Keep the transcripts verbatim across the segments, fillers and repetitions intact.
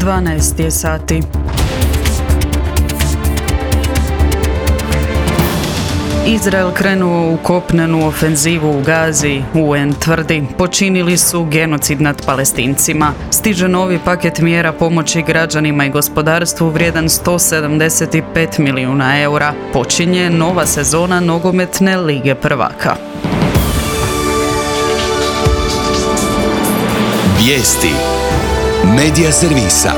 dvanaest je sati. Izrael krenuo u kopnenu ofenzivu u Gazi, U N tvrdi, počinili su genocid nad Palestincima. Stiže novi paket mjera pomoći građanima i gospodarstvu vrijedan sto sedamdeset pet milijuna eura. Počinje nova sezona nogometne lige prvaka. Vijesti Medija servisa.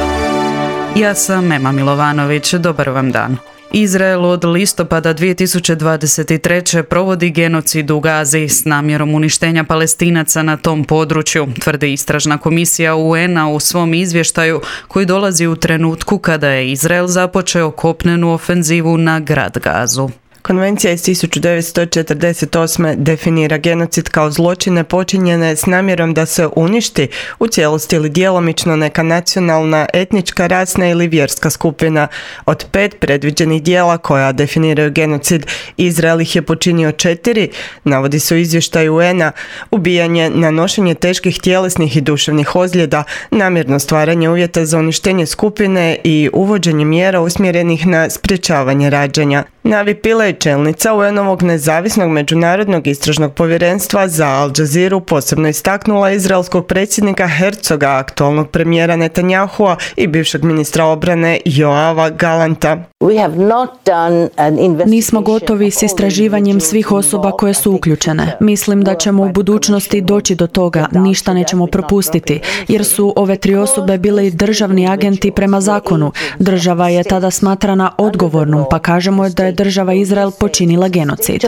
Ja sam Ema Milovanović, dobar vam dan. Izrael od listopada dvije tisuće dvadeset treće provodi genocid u Gazi s namjerom uništenja Palestinaca na tom području, tvrdi istražna komisija U N-a u svom izvještaju koji dolazi u trenutku kada je Izrael započeo kopnenu ofenzivu na grad Gazu. Konvencija iz tisuću devetsto četrdeset osme definira genocid kao zločine počinjene s namjerom da se uništi u cijelosti ili djelomično neka nacionalna, etnička, rasna ili vjerska skupina. Od pet predviđenih djela koja definiraju genocid, Izrael ih je počinio četiri, navodi se u izvještaju U N-a: ubijanje, nanošenje teških tjelesnih i duševnih ozljeda, namjerno stvaranje uvjeta za uništenje skupine i uvođenje mjera usmjerenih na sprječavanje rađanja. Navi Pillay, čelnica U N-ovog nezavisnog međunarodnog istražnog povjerenstva za Al Jazeera, posebno istaknula izraelskog predsjednika Herzoga, aktualnog premijera Netanyahua i bivšeg ministra obrane Joava Galanta. Nismo gotovi s istraživanjem svih osoba koje su uključene. Mislim da ćemo u budućnosti doći do toga, ništa nećemo propustiti, jer su ove tri osobe bili državni agenti prema zakonu. Država je tada smatrana odgovornom, pa kažemo da je država Izrael počinila genocid.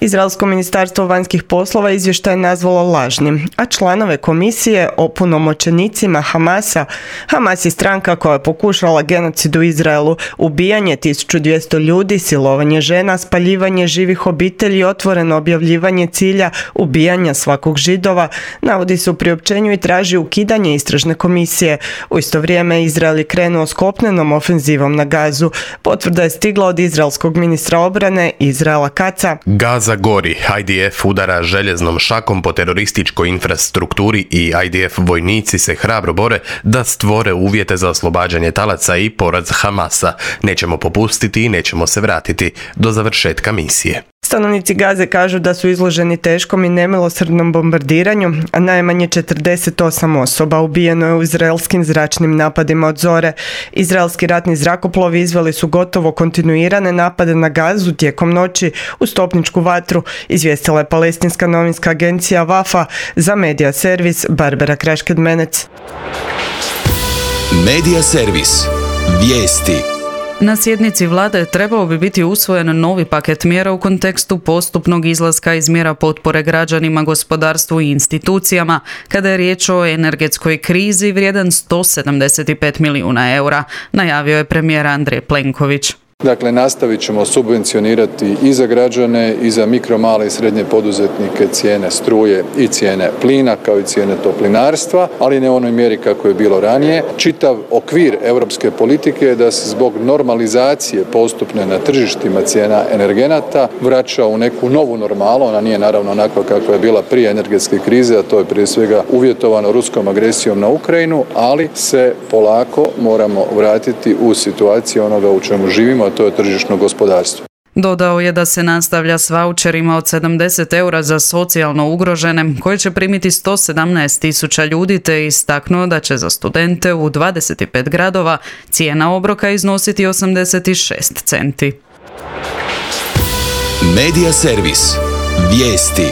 Izraelsko ministarstvo vanjskih poslova izvještaj je nazvalo lažnim, a članove komisije opunomoćenicima Hamasa. Hamas je stranka koja je pokušala genocid u Izraelu, ubijanje tisuću dvjesto ljudi, silovanje žena, spaljivanje živih obitelji i otvoreno objavljivanje cilja ubijanja svakog Židova, navodi se u priopćenju i traži ukidanje istražne komisije. U isto vrijeme Izrael je krenuo s kopnenom ofenzivom na Gazu. Potvrda je stigla od izraelskog ministra obrane Izraela Katza. Gaza gori, I D F udara željeznom šakom po terorističkoj infrastrukturi i I D F vojnici se hrabro bore da stvore uvjete za oslobađanje talaca i poraz Hamasa. Nećemo popustiti i nećemo se vratiti do završetka misije. Stanovnici Gaze kažu da su izloženi teškom i nemilosrdnom bombardiranju, a najmanje četrdeset osam osoba ubijeno je u izraelskim zračnim napadima od zore. Izraelski ratni zrakoplovi izveli su gotovo kontinuirane napade na Gazu tijekom noći u stopničku vatru, izvijestila je palestinska novinska agencija Wafa, za medija servis Barbara Krašked-Menec. Medija servis. Vijesti. Na sjednici vlade trebao bi biti usvojen novi paket mjera u kontekstu postupnog izlaska iz mjera potpore građanima, gospodarstvu i institucijama, kada je riječ o energetskoj krizi vrijedan sto sedamdeset pet milijuna eura, najavio je premijer Andrej Plenković. Dakle, nastavit ćemo subvencionirati i za građane i za mikro, male i srednje poduzetnike cijene struje i cijene plina, kao i cijene toplinarstva, ali ne u onoj mjeri kako je bilo ranije. Čitav okvir europske politike je da se zbog normalizacije postupne na tržištima cijena energenata vraća u neku novu normalu. Ona nije naravno onakva kakva je bila prije energetske krize, a to je prije svega uvjetovano ruskom agresijom na Ukrajinu, ali se polako moramo vratiti u situaciju onoga u čemu živimo, to je tržišno gospodarstvo. Dodao je da se nastavlja s vaučerima od sedamdeset eura za socijalno ugrožene, koje će primiti sto sedamnaest tisuća ljudi, te istaknuo da će za studente u dvadeset pet gradova cijena obroka iznositi osamdeset šest centi. Medija servis. Vijesti.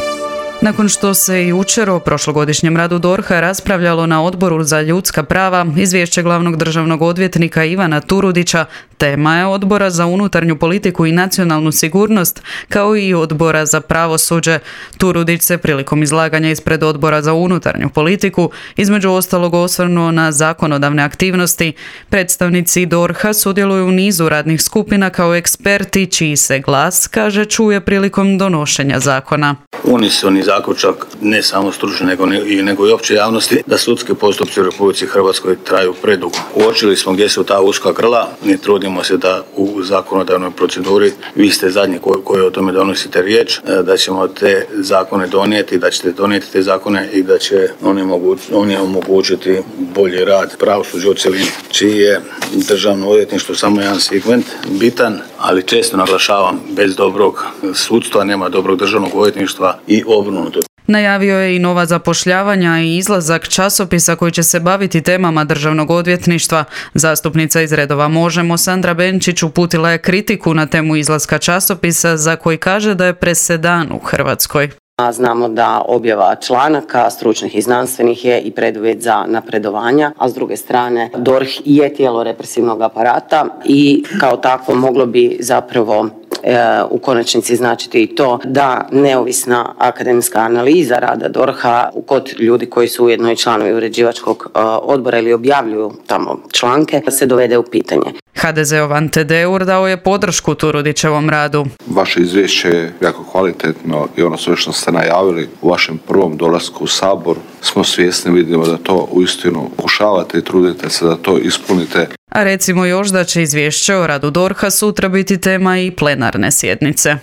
Nakon što se i jučer o prošlogodišnjem radu D O R H-a raspravljalo na Odboru za ljudska prava, izvješće glavnog državnog odvjetnika Ivana Turudića tema je Odbora za unutarnju politiku i nacionalnu sigurnost, kao i Odbora za pravosuđe. Turudić se prilikom izlaganja ispred Odbora za unutarnju politiku između ostalog osvrnuo na zakonodavne aktivnosti. Predstavnici D O R H-a sudjeluju u nizu radnih skupina kao eksperti čiji se glas, kaže, čuje prilikom donošenja zakona. Unisoni zaključak ne samo stručne nego, nego i opće javnosti da sudski postupci u Republici Hrvatskoj traju predugo. Uočili smo gdje su ta uska grla, ne trudimo se da u zakonodavnoj proceduri, vi ste zadnji koji, koji o tome donosite riječ, da ćemo te zakone donijeti, da ćete donijeti te zakone i da će oni, moguć, oni omogućiti bolji rad pravosuđa u cjelini, čiji je državno odvjetništvo samo jedan segment bitan, ali često naglašavam, bez dobrog sudstva nema dobrog državnog odvjetništva i obrnuto. Najavio je i nova zapošljavanja i izlazak časopisa koji će se baviti temama državnog odvjetništva. Zastupnica iz redova Možemo Sandra Benčić uputila je kritiku na temu izlaska časopisa za koji kaže da je presedan u Hrvatskoj. Znamo da objava članaka, stručnih i znanstvenih, je i preduvjet za napredovanja, a s druge strane D O R H je tijelo represivnog aparata i kao takvo moglo bi zapravo e, u konačnici značiti i to da neovisna akademska analiza rada D O R H-a kod ljudi koji su ujedno i članovi uređivačkog e, odbora ili objavljuju tamo članke se dovede u pitanje. ha de zeov Ante Deur dao je podršku Turudićevom radu. Vaše izvješće je jako kvalitetno i ono sve što ste najavili u vašem prvom dolasku u Sabor smo svjesni, vidimo da to uistinu pokušavate i trudite se da to ispunite. A recimo još da će izvješće o radu D O R H-a sutra biti tema i plenarne sjednice.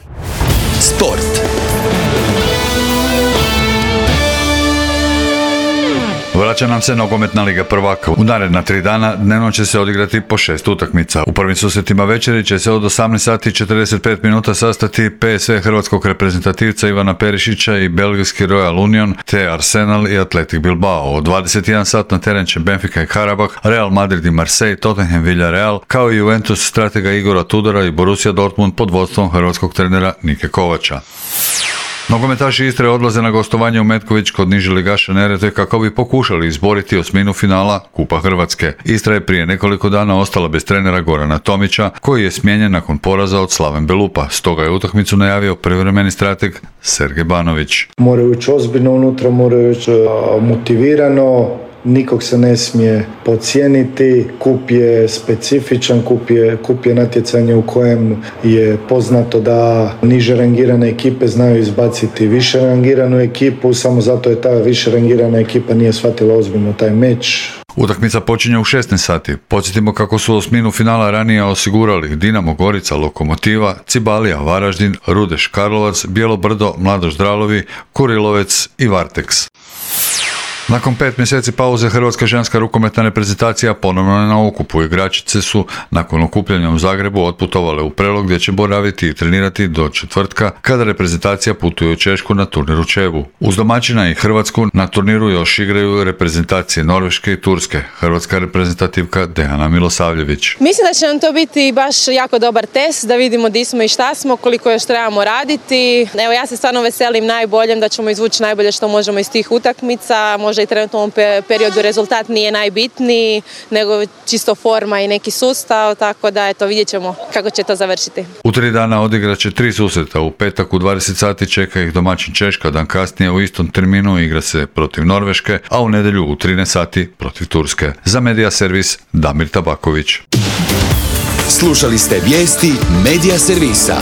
Sport. Vraća nam se nogometna liga prvaka. U naredna tri dana dnevno će se odigrati po šest utakmica. U prvim susretima večeri će se od osamnaest sati i četrdeset pet minuta sastati P S V hrvatskog reprezentativca Ivana Perišića i belgijski Royal Union, te Arsenal i Athletic Bilbao. Od dvadeset jedan sat na teren će Benfica i Karabah, Real Madrid i Marseille, Tottenham Villarreal, kao i Juventus stratega Igora Tudora i Borussia Dortmund pod vodstvom hrvatskog trenera Nike Kovača. Nogometaši Istre odlaze na gostovanje u Metković kod niže ligaša Neretve kako bi pokušali izboriti osminu finala Kupa Hrvatske. Istra je prije nekoliko dana ostala bez trenera Gorana Tomića, koji je smijenjen nakon poraza od Slaven Belupa. Stoga je utakmicu najavio privremeni strateg Sergej Banović. Moraju ići ozbiljno unutra, moraju ići motivirano. Nikog se ne smije podcijeniti, kup je specifičan, kup je, kup je natjecanje u kojem je poznato da niže rangirane ekipe znaju izbaciti više rangiranu ekipu, samo zato je ta više rangirana ekipa nije shvatila ozbiljno taj meč. Utakmica počinje u šesnaest sati. Podsjetimo kako su osminu finala ranije osigurali Dinamo Gorica, Lokomotiva, Cibalija, Varaždin, Rudeš Karlovac, Bijelo Brdo, Mladoš Dralovi, Kurilovec i Varteks. Nakon pet mjeseci pauze hrvatska ženska rukometna reprezentacija ponovno je na okupu. Igračice su nakon okupljanja u Zagrebu otputovale u Prelog gdje će boraviti i trenirati do četvrtka kada reprezentacija putuje u Češku na turnir u Čebu. Uz domaćina i Hrvatsku na turniru još igraju reprezentacije Norveške i Turske. Hrvatska reprezentativka Dejana Milosavljević. Mislim da će nam to biti baš jako dobar test da vidimo di smo i šta smo, koliko još trebamo raditi. Evo, ja se stvarno veselim najboljem da ćemo izvući najbolje što možemo iz tih utakmica. Možda i trenutno u ovom periodu rezultat nije najbitniji, nego čisto forma i neki sustav, tako da eto, vidjet ćemo kako će to završiti. U tri dana odigrat će tri susreta. U petak u dvadeset sati čeka ih domaćin Češka, dan kasnije u istom terminu igra se protiv Norveške, a u nedjelju u trinaest sati protiv Turske. Za Medija Servis Damir Tabaković. Slušali ste vijesti Medija Servisa.